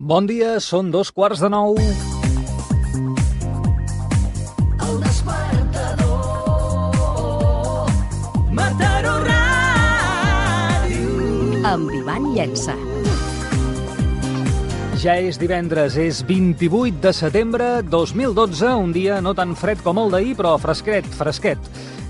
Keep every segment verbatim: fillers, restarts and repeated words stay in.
Bon dia, són dos quarts de nou. El despertador, Mataró Ràdio. Amb Ivan Llença. Ja és divendres, és vint-i-vuit de setembre dos mil dotze, un dia no tan fred com el d'ahir, però fresquet, fresquet.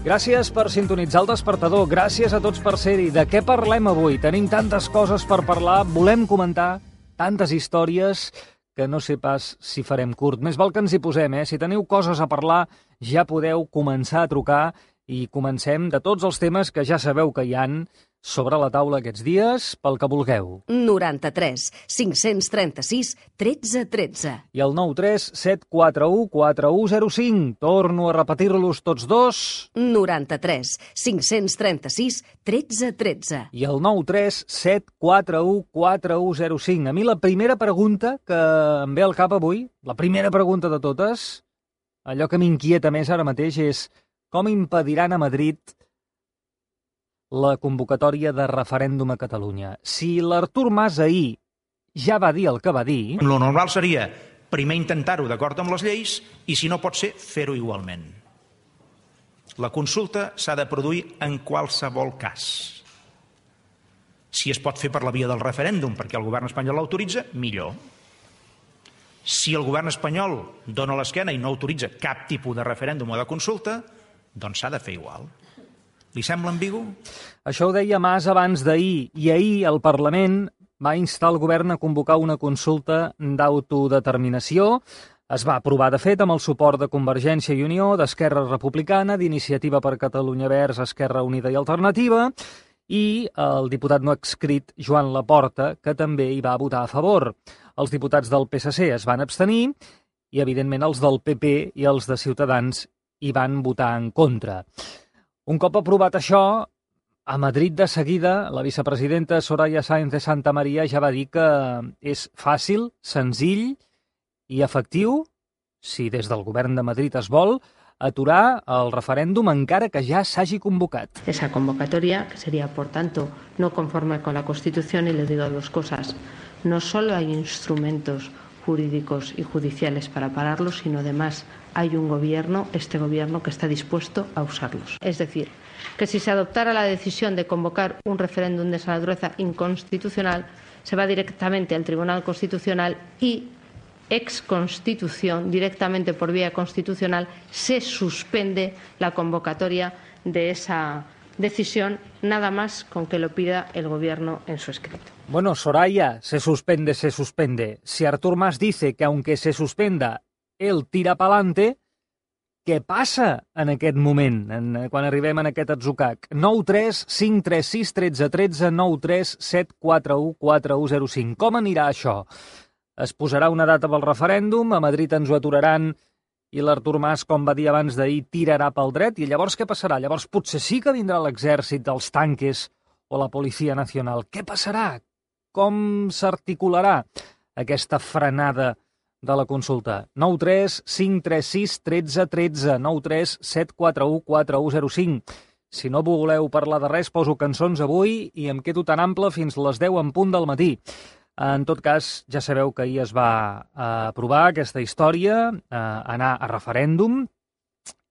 Gràcies per sintonitzar el despertador, gràcies a tots per ser-hi. De què parlem avui? Tenim tantes coses per parlar, volem comentar tantes històries que no sé pas si farem curt. Més val que ens hi posem, eh? Si teniu coses a parlar, ja podeu començar a trucar i comencem de tots els temes que ja sabeu que hi han sobre la taula aquests dies, pel que vulgueu. noranta-tres cinc-cents trenta-sis tretze tretze. I el nou tres set quatre u quatre u zero cinc. Torno a repetir-los tots dos. noranta-tres cinc-cents trenta-sis tretze tretze. I el nou tres set quatre u quatre u zero cinc. A mi la primera pregunta que em ve al cap avui, la primera pregunta de totes, allò que m'inquieta més ara mateix és com impediran a Madrid la convocatòria de referèndum a Catalunya. Si l'Artur Mas ahir ja va dir el que va dir... Lo normal seria primer intentar-ho d'acord amb les lleis i, si no pot ser, fer-ho igualment. La consulta s'ha de produir en qualsevol cas. Si es pot fer per la via del referèndum perquè el govern espanyol l'autoritza, millor. Si el govern espanyol dona l'esquena i no autoritza cap tipus de referèndum o de consulta, doncs s'ha de fer igual. Li sembla ambigu? Això ho deia Mas abans d'ahir, i ahir el Parlament va instar el govern a convocar una consulta d'autodeterminació. Es va aprovar, de fet, amb el suport de Convergència i Unió, d'Esquerra Republicana, d'Iniciativa per Catalunya Verds, Esquerra Unida i Alternativa, i el diputat no adscrit Joan Laporta, que també hi va votar a favor. Els diputats del P S C es van abstenir i, evidentment, els del P P i els de Ciutadans hi van votar en contra. Un cop aprovat això, a Madrid de seguida, la vicepresidenta Soraya Sáenz de Santamaría ja va dir que és fàcil, senzill i efectiu, si des del govern de Madrid es vol, aturar el referèndum encara que ja s'hagi convocat. Esa convocatoria, que sería, por tanto, no conforme con la Constitución, y le digo dos cosas. No solo hay instrumentos jurídicos y judiciales para pararlos, sino además hay un gobierno, este gobierno, que está dispuesto a usarlos. Es decir, que si se adoptara la decisión de convocar un referéndum de esa naturaleza inconstitucional, se va directamente al Tribunal Constitucional y, ex Constitución, directamente por vía constitucional, se suspende la convocatoria de esa decisión, nada más con que lo pida el gobierno en su escrito. Bueno, Soraya, se suspende, se suspende. Si Artur Mas dice que aunque se suspenda, él tira pa'lante, què passa en aquest moment, en, quan arribem en aquest atzucac? nou tres cinc tres sis un tres un tres, nou tres set quatre u quatre u zero cinc. Com anirà això? Es posarà una data pel referèndum, a Madrid ens ho aturaran i l'Artur Mas, com va dir abans d'ahir, tirarà pel dret, i llavors què passarà? Llavors potser sí que vindrà l'exèrcit, els tanques o la Policia Nacional. Què passarà? Com s'articularà aquesta frenada de la consulta? nou tres cinc tres sis un tres un tres, nou tres set quatre u quatre u zero cinc. Si no voleu parlar de res, poso cançons avui i em quedo tan ample fins les deu en punt del matí. En tot cas, ja sabeu que ahir es va aprovar aquesta història, anar a referèndum,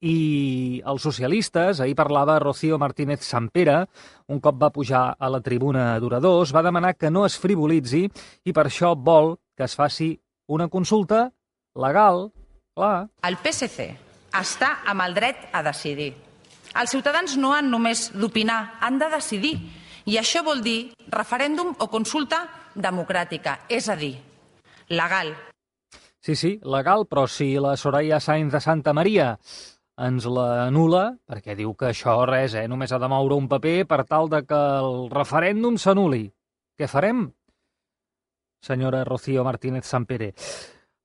i els socialistes, ahir parlava Rocío Martínez Sampere, un cop va pujar a la tribuna d'oradors, va demanar que no es frivolitzi i per això vol que es faci una consulta legal, clar. El P S C està amb el dret a decidir. Els ciutadans no han només d'opinar, han de decidir. I això vol dir referèndum o consulta democràtica, és a dir, legal. Sí, sí, legal, però si la Soraya Sáenz de Santamaría ens la anul·la, perquè diu que això res, eh, només ha de moure un paper per tal de que el referèndum s'anul·li. Què farem, senyora Rocío Martínez Sampere?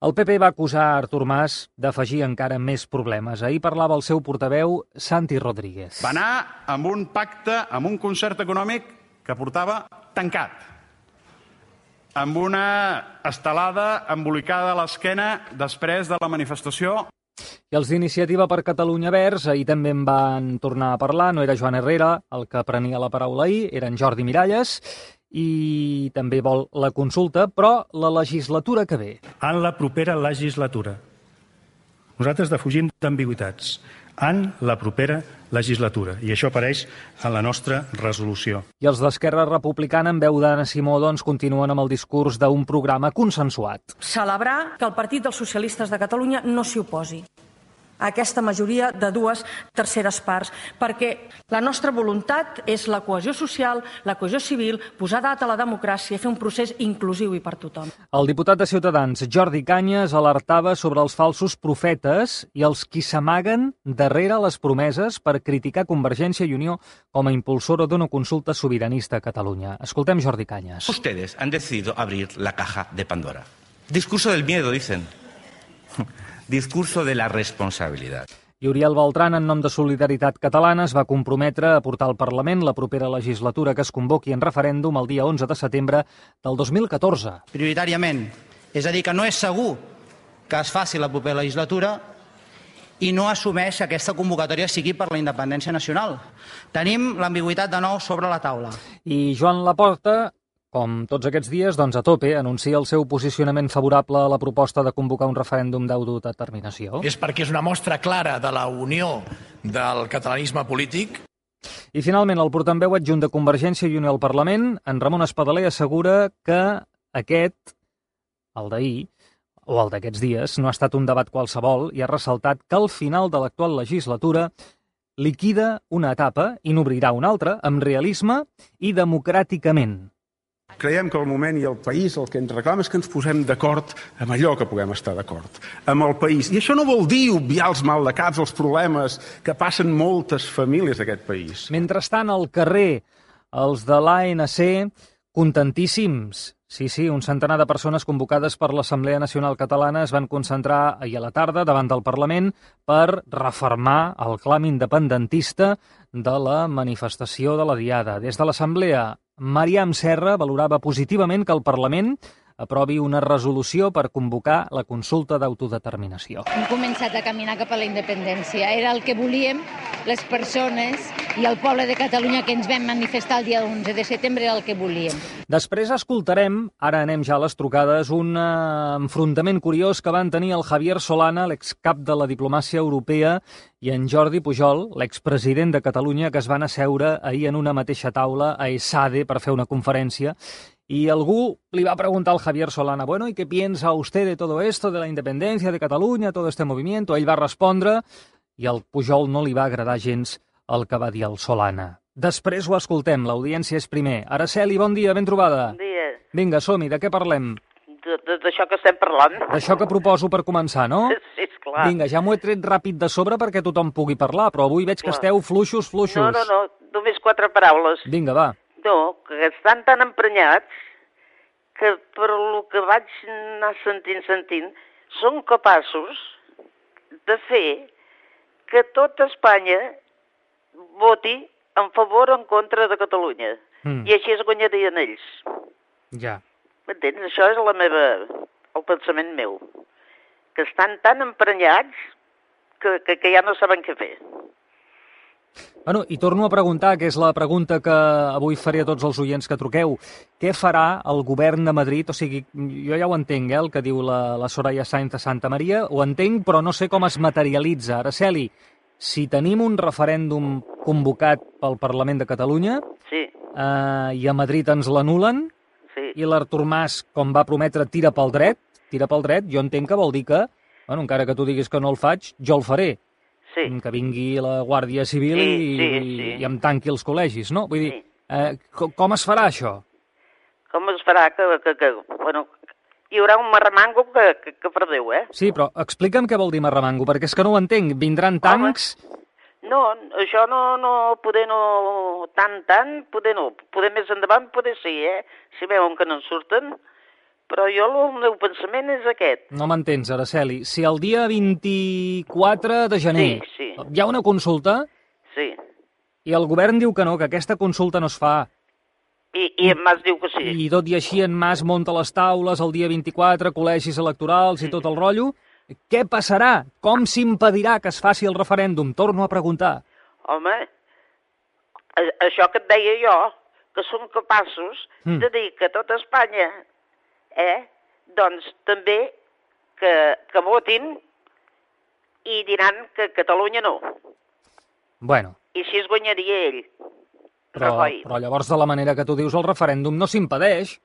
El P P va acusar Artur Mas d'afegir encara més problemes. Ahir parlava el seu portaveu, Santi Rodríguez. Va anar amb un pacte, amb un concert econòmic que portava tancat, amb una estelada embolicada a l'esquena després de la manifestació. I els d'Iniciativa per Catalunya Verds ahir també en van tornar a parlar. No era Joan Herrera el que prenia la paraula ahir, eren Jordi Miralles, i també vol la consulta, però la legislatura que ve. En la propera legislatura. Nosaltres defugim d'ambigüitats. En la propera legislatura. I això apareix en la nostra resolució. I els d'Esquerra Republicana, en veu d'Anna Simó, doncs, continuen amb el discurs d'un programa consensuat. Celebrar que el Partit dels Socialistes de Catalunya no s'hi oposi a aquesta majoria de dues terceres parts, perquè la nostra voluntat és la cohesió social, la cohesió civil, posar data a la democràcia, fer un procés inclusiu i per tothom. El diputat de Ciutadans, Jordi Cañas, alertava sobre els falsos profetes i els qui s'amaguen darrere les promeses per criticar Convergència i Unió com a impulsora d'una consulta sobiranista a Catalunya. Escoltem Jordi Cañas. Ustedes han decidido abrir la caja de Pandora. Discurso del miedo, dicen. Discurso de la responsabilidad. I Oriol Beltran, en nom de Solidaritat Catalana, es va comprometre a portar al Parlament la propera legislatura que es convoqui en referèndum el dia onze de setembre del dos mil catorze. Prioritàriament. És a dir, que no és segur que es faci la propera legislatura i no assumeix que aquesta convocatòria sigui per la independència nacional. Tenim l'ambigüitat de nou sobre la taula. I Joan Laporta, com tots aquests dies, doncs a tope, anuncia el seu posicionament favorable a la proposta de convocar un referèndum d'autodeterminació. És perquè és una mostra clara de la unió del catalanisme polític. I finalment, el portaveu adjunt de Convergència i Unió al Parlament, en Ramon Espadaler, assegura que aquest, el d'ahir, o el d'aquests dies, no ha estat un debat qualsevol i ha ressaltat que al final de l'actual legislatura liquida una etapa i n'obrirà una altra amb realisme i democràticament. Creiem que el moment i el país el que ens reclama és que ens posem d'acord amb allò que puguem estar d'acord, amb el país. I això no vol dir obviar els maldecaps, els problemes que passen moltes famílies d'aquest país. Mentrestant, al carrer, els de l'A N C, contentíssims. Sí, sí, un centenar de persones convocades per l'Assemblea Nacional Catalana es van concentrar ahir a la tarda davant del Parlament per refermar el clam independentista de la manifestació de la Diada. Des de l'Assemblea, Mariam Serra valorava positivament que el Parlament aprovi una resolució per convocar la consulta d'autodeterminació. Hem començat a caminar cap a la independència. Era el que volíem les persones i el poble de Catalunya que ens vam manifestar el dia onze de setembre, era el que volíem. Després escoltarem, ara anem ja a les trucades, un uh, enfrontament curiós que van tenir el Javier Solana, l'excap de la diplomàcia europea, i en Jordi Pujol, l'expresident de Catalunya, que es van asseure ahir en una mateixa taula a ESADE per fer una conferència. Y algú li va preguntar al Javier Solana, bueno, ¿y qué piensa usted de todo esto, de la independencia de Catalunya, todo este movimiento? Ell va respondre i al Pujol no li va agradar gens el que va dir el Solana. Després ho escoltem, l'audiència és primer. Araceli, bon dia, ben trobada. Bon dia. Vinga, som-hi, de què parlem? D'això que estem parlant. D'això que proposo per començar, no? Sí, esclar. Vinga, ja m'ho he tret ràpid de sobre perquè tothom pugui parlar, però avui veig que clar. Esteu fluixos, fluixos. No, no, no, només quatre paraules. Vinga, va. No, que estan tan emprenyats que per lo que vaig anar sentint, sentint, són capaços de fer que tota Espanya voti en favor o en contra de Catalunya. Mm. I així es guanyarien ells. Ja. M'entens? Això és la meva, el pensament meu. Que estan tan emprenyats que, que, que ja no saben què fer. Bueno, i torno a preguntar, que és la pregunta que avui faré a tots els oients que truqueu. Què farà el govern de Madrid? O sigui, jo ja ho entenc, eh, el que diu la, la Soraya Sáenz de Santa Maria, ho entenc, però no sé com es materialitza. Araceli, si tenim un referèndum convocat pel Parlament de Catalunya sí. eh, i a Madrid ens l'anulen, sí. i l'Artur Mas, com va prometre, tira pel dret, tira pel dret, jo entenc que vol dir que, bueno, encara que tu diguis que no el faig, jo el faré. Sí. Que vingui la Guàrdia Civil sí, i, sí, sí. i em tanqui els col·legis, no? Vull dir, sí. eh, com, com es farà això? Com es farà que, que, que bueno, hi haurà un marremango que, que, que perdeu, eh? Sí, però explica'm què vol dir marremango, perquè és que no ho entenc. Vindran tancs... Home. No, això no, no, poder no, tant, tant, poder no. Poder més endavant, poder sí, eh? Si veuen que no en surten... Però jo el meu pensament és aquest. No m'entens, Araceli. Si el dia vint-i-quatre de gener sí, sí. hi ha una consulta sí. i el govern diu que no, que aquesta consulta no es fa... I, i en Mas diu que sí. I tot i així en Mas munta les taules el dia vint-i-quatre, col·legis electorals i tot el rotllo, què passarà? Com s'impedirà que es faci el referèndum? Torno a preguntar. Home, això que et deia jo, que són capaços Mm. de dir que tot Espanya, eh, doncs també que, que votin i diran que Catalunya no. Bueno, I així es guanyaria ell. però, Rajoy. però llavors, de la manera que tu dius, el referèndum no s'impedeix.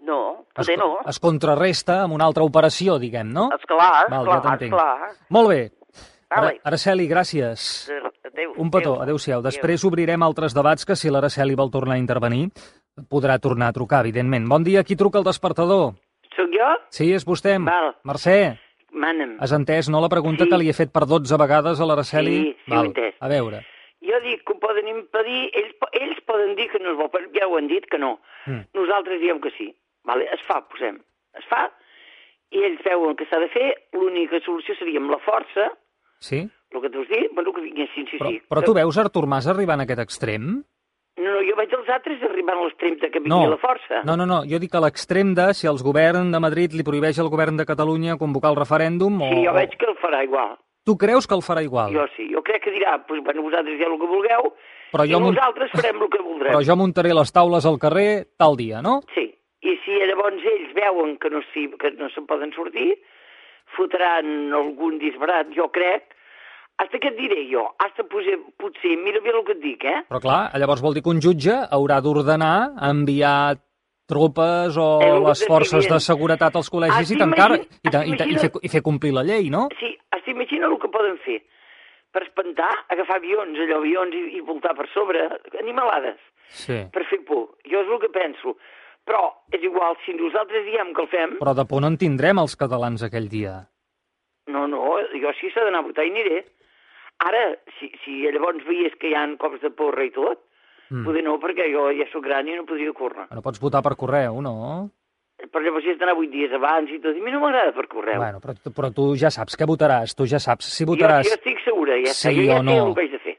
No, Es, poder no. es contrarresta amb una altra operació, diguem, no? Esclar, Val, esclar, ja t'entenc. esclar. Molt bé. Ara, Vale. Araceli, gràcies. Adéu. Un petó, adéu-siau. Després obrirem altres debats que si l'Araceli vol tornar a intervenir podrà tornar a trucar, evidentment. Bon dia, qui truca al despertador? Sóc jo? Sí, és vostè. Val. Mercè, Mana'm. has entès, no, la pregunta Sí. que li he fet per dotze vegades a l'Araceli? Sí, sí, ho he entès. A veure. Jo dic que ho poden impedir, ells, po- ells poden dir que no es vol, però ja ho han dit que no. Mm. Nosaltres diem que sí. Vale? Es fa, posem. Es fa, i ells veuen que s'ha de fer, l'única solució seria amb la força, Sí? el que t'has dit, bueno, que vinguessin, sí, Però, sí. però tu veus Artur Mas arribant a aquest extrem? No, no, jo veig els altres arribant a l'extrem de que vingui No. la força. No, no, no, jo dic a l'extrem de si els govern de Madrid li prohibeix al govern de Catalunya convocar el referèndum o... Sí, jo o- veig que el farà igual. Tu creus que el farà igual? Jo sí, jo crec que dirà, pues, bueno, vosaltres ja el que vulgueu, Però i jo munt- nosaltres farem el que voldrem. Però jo muntaré les taules al carrer tal dia, no? Sí, i si llavors ells veuen que no, s'hi- que no se'n poden sortir, fotran algun disbarat, jo crec, hasta què et diré jo? Hasta potser, potser, mira bé el que et dic, eh? Però clar, llavors vol dir que un jutge haurà d'ordenar enviar tropes o És el que les t'estic forces de dient. seguretat als col·legis Ah, i tancar i, t'imagines- ta- i, ta- i, fer, i fer complir la llei, no? Sí, t'imagina el que poden fer. Per espantar, agafar avions, allò, avions i, i voltar per sobre, animalades, Sí. per fer por. Jo és el que penso. Però és igual, si nosaltres diem que el fem, Però de por no en tindrem els catalans aquell dia. no, no, jo sí s'ha d'anar a votar i aniré. Ara, si, si llavors veies que hi ha cops de porra i tot, Mm. poder no, perquè jo ja sóc gran i no podria córrer. No pots votar per correu, no? Però llavors hi has d'anar vuit dies abans i tot, i a mi no m'agrada per correu. Bueno, però, tu- però tu ja saps què votaràs, tu ja saps si jo, votaràs jo estic segura, ja està. sí Jo ja o sé no. el que haig de fer.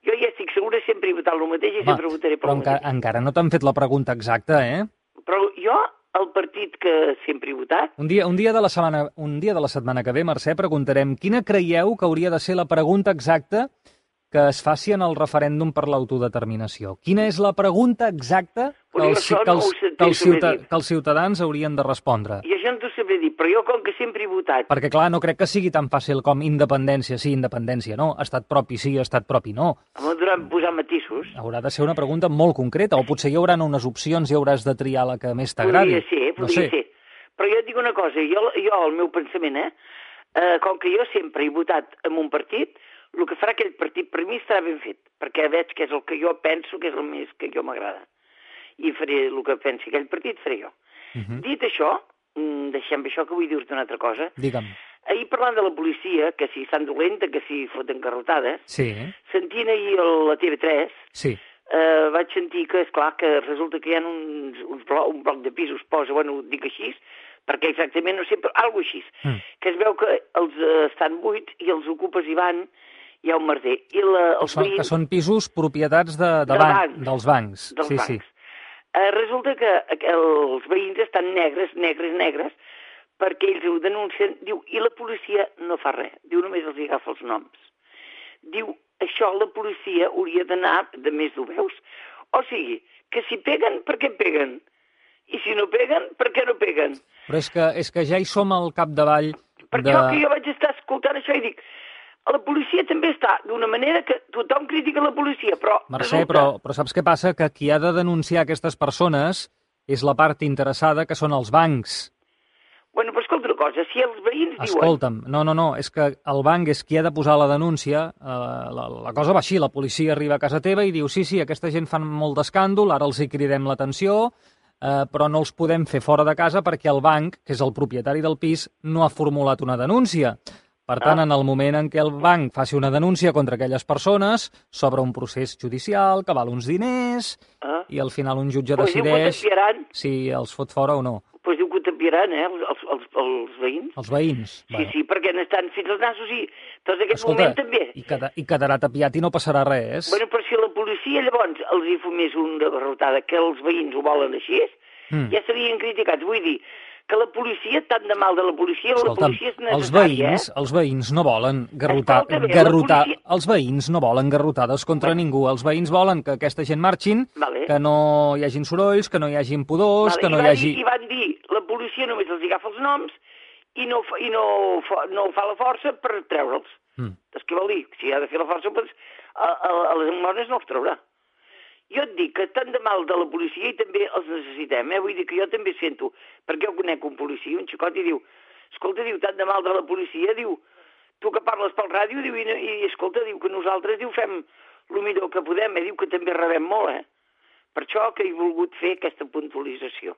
Jo ja estic segura, sempre he votat el mateix i Va, sempre votaré per però el enca mateix. encara no t'han fet la pregunta exacta, eh? Però jo, el partit que sempre he votat, Un dia, un, dia de la setmana, un dia de la setmana que ve, Mercè, preguntarem quina creieu que hauria de ser la pregunta exacta que es faci en el referèndum per l'autodeterminació. Quina és la pregunta exacta que Però jo els, això que no els, ho sé, que els, t'ho he ciuta, dit. que els ciutadans haurien de respondre? i això no t'ho sabré dir, però jo com que sempre he votat, Perquè, clar, no crec que sigui tan fàcil com independència, sí, independència, no. Estat propi, sí, estat propi, no. em durant posar matisos, Haurà de ser una pregunta molt concreta, o potser hi haurà unes opcions i hauràs de triar la que més t'agradi. podria ser, No podria sé. ser. Però jo et dic una cosa, jo, jo el meu pensament, eh, eh, com que jo sempre he votat en un partit, el que farà aquell partit per mi estarà ben fet, perquè veig que és el que jo penso que és el més que jo m'agrada. I faré el que pensi aquell partit, faré jo. Mhm. Dit això, mm, deixem això que vull dir-te una altra cosa. Digue'm. Ahir parlant de la policia, que si estan dolenta, que si foten garrotades, Sí, sentint ahir el- la T V tres, sí. eh, vaig sentir que, és clar que resulta que hi ha uns, uns blo un bloc de pisos, posa, bueno, ho dic així, perquè exactament no sé, però alguna així, Mm. que es veu que els eh, estan buits i els ocupes hi van, hi ha un merder. I la, Que els són, veïns, que són pisos propietats de, de De ban bancs. dels bancs. dels sí, bancs. sí. Eh, resulta que els veïns estan negres, negres, negres, perquè ells ho denuncien, diu, i la policia no fa res, diu, només els agafa els noms. Diu, això la policia hauria d'anar de més d'ho veus? O sigui, que si peguen, per què peguen? I si no peguen, per què no peguen? Però és que, és que ja hi som al capdavall Perquè de... jo, que jo vaig estar escoltant això i dic, la policia també està d'una manera que tothom critica la policia, però... Mercè, resulta- però, però saps què passa? Que qui ha de denunciar aquestes persones és la part interessada, que són els bancs. Bueno, però escolta una cosa, si els veïns diuen... Escolta'm, no, no, no, és que el banc és qui ha de posar la denúncia, eh, la, la cosa va així, la policia arriba a casa teva i diu sí, sí, aquesta gent fan molt d'escàndol, ara els hi cridem l'atenció, eh, però no els podem fer fora de casa perquè el banc, que és el propietari del pis, no ha formulat una denúncia. Per tant, Ah. en el moment en què el banc faci una denúncia contra aquelles persones, s'obre un procés judicial que val uns diners Ah. i al final un jutge Pues diu que decideix t'enviaran, si els fot fora o no. pues diu que t'enviaran, eh, els, els, els, els veïns. Els veïns. Sí, sí, perquè n'estan fins als nassos i tots aquest Escolta, moment també. i, queda, i quedarà tapiat i no passarà res. Bueno, però si la policia llavors els hi fumés una garrotada que els veïns ho volen així, Mm. ja serien criticats. Vull dir que la policia, tant de mal de la policia, Escolta'm, la policia és necessària, els veïns, eh? els veïns no volen garrotar, Escolta bé, la garrotar, policia- els veïns no volen garrotades contra Bueno. ningú. Els veïns volen que aquesta gent marxin, Vale. que no hi hagin sorolls, que no hi hagin pudors, Vale, que no i, hi van hagi... dir, I van dir, la policia només els agafa els noms i no, fa- i no, fa- no fa la força per treure'ls. Mm. És que vol dir, si ha de fer la força, doncs, a, a, a les mones no els traurà. Jo et dic que tant de mal de la policia i també els necessitem, eh? Vull dir que jo també sento, perquè jo conec un policia, un xicot, i diu, escolta, diu, tant de mal de la policia, diu, tu que parles pel ràdio, diu, i, no- i escolta, diu que nosaltres, diu, fem el millor que podem, eh? Diu que també rebem molt, eh? Per això que he volgut fer aquesta puntualització.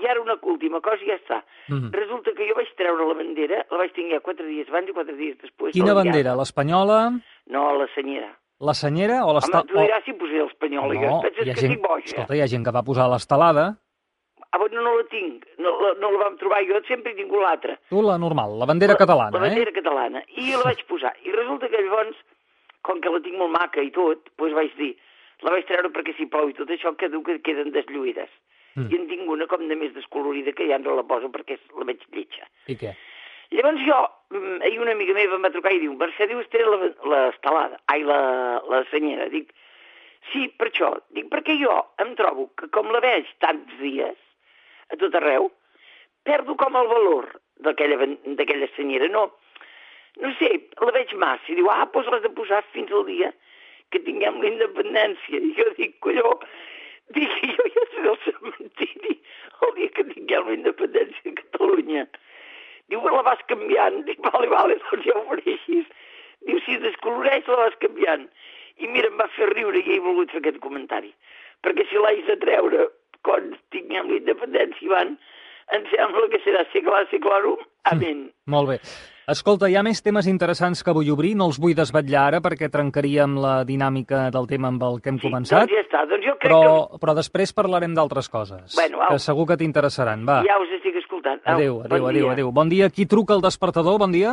I ara una última cosa i ja està. Mhm. Resulta que jo vaig treure la bandera, la vaig tenir quatre dies abans i quatre dies després. Quina de la bandera? diada. L'espanyola, No, la senyera. la senyera o Home, l'estelada? tu diràs si posaré l'espanyola, jo No, et penses hi ha que gent, estic boja. escolta, hi ha gent que va posar l'estelada. Ah, bueno, no la tinc, no, la, no la vam trobar, jo sempre he tingut l'altra. Tu, la normal, la bandera catalana, La bandera eh? catalana. I la vaig posar. I resulta que llavors, com que la tinc molt maca i tot, doncs vaig dir, la vaig treure perquè si plou i tot això, que diu que queden deslluïdes. Mm. I en tinc una com de més descolorida que ja no la poso perquè és- la veig lletja. I què? Llavors jo, mm, ahir una amiga meva em va trucar i diu, Mercè, diu, estaré la- l'estelada, ai, la, la senyera. Dic, sí, per això. Dic, perquè jo em trobo que com la veig tants dies, a tot arreu, perdo com el valor d'aquella ben- d'aquella senyera. No, no sé, la veig massa. I diu, ah, doncs l'has de posar fins al dia que tinguem la independència. I jo dic, colló, dic, jo ja seré al cementiri el dia que tinguem la independència de Catalunya. Diu, la vas canviant. Dic, vale, vale, doncs ja ho faré així. Diu, si es descoloreix, la vas canviant. I mira, em va fer riure i he volgut fer aquest comentari. Perquè si l'haig de treure quan tinguem la independència, Ivan, em sembla que serà seglar, seglarum, amén. Molt bé. Escolta, hi ha més temes interessants que vull obrir, no els vull desvetllar ara perquè trencaríem la dinàmica del tema amb el que hem començat, Doncs ja està, doncs jo crec però, però després parlarem d'altres coses, Bueno, au. que segur que t'interessaran. Va, que ja us estic escoltant. Au, adéu, bon adéu, adéu, dia. adéu. Bon dia, qui truca al despertador? Bon dia.